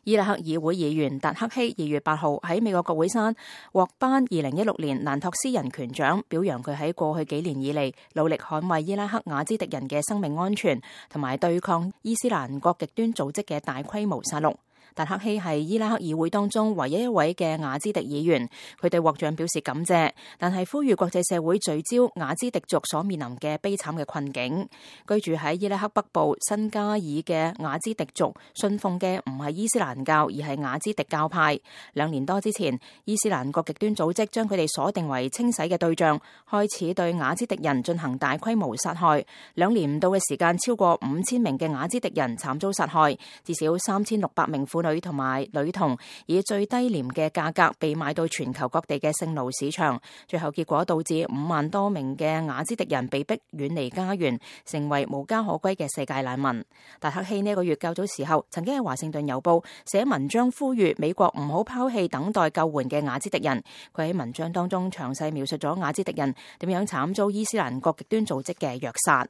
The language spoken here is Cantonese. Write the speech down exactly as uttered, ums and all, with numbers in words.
伊拉克議會議員達克希二月八號喺美國國會山獲頒二零一六年蘭托斯人權獎，表揚佢喺過去幾年以嚟努力捍衛伊拉克雅茲迪人嘅生命安全，同埋對抗伊斯蘭國極端組織嘅大規模殺戮。達克希係伊拉克議會當中唯一一位嘅雅茲迪議員，佢對獲獎表示感謝，但係呼籲國際社會聚焦雅茲迪族所面臨嘅悲慘嘅困境。居住喺伊拉克北部新加爾嘅雅茲迪族信奉嘅唔係伊斯蘭教，而係雅茲迪教派。兩年多之前，伊斯蘭國極端組織將佢哋鎖定為清洗嘅對象，開始對雅茲迪人進行大規模殺害。兩年唔到嘅時間，超過五千名嘅雅茲迪人慘遭殺害，至少三千六百名婦女同埋女童以最低廉嘅價格被賣到全球各地嘅聖奴市場，最後結果導致五萬多名嘅雅茲迪人被逼遠離家園，成為無家可歸嘅世界難民。達克希呢個月較早時候曾經喺華盛頓郵報寫文章呼籲美國唔好拋棄等待救援嘅雅茲迪人。佢喺文章當中詳細描述咗雅茲迪人點樣慘遭伊斯蘭國極端組織嘅虐殺。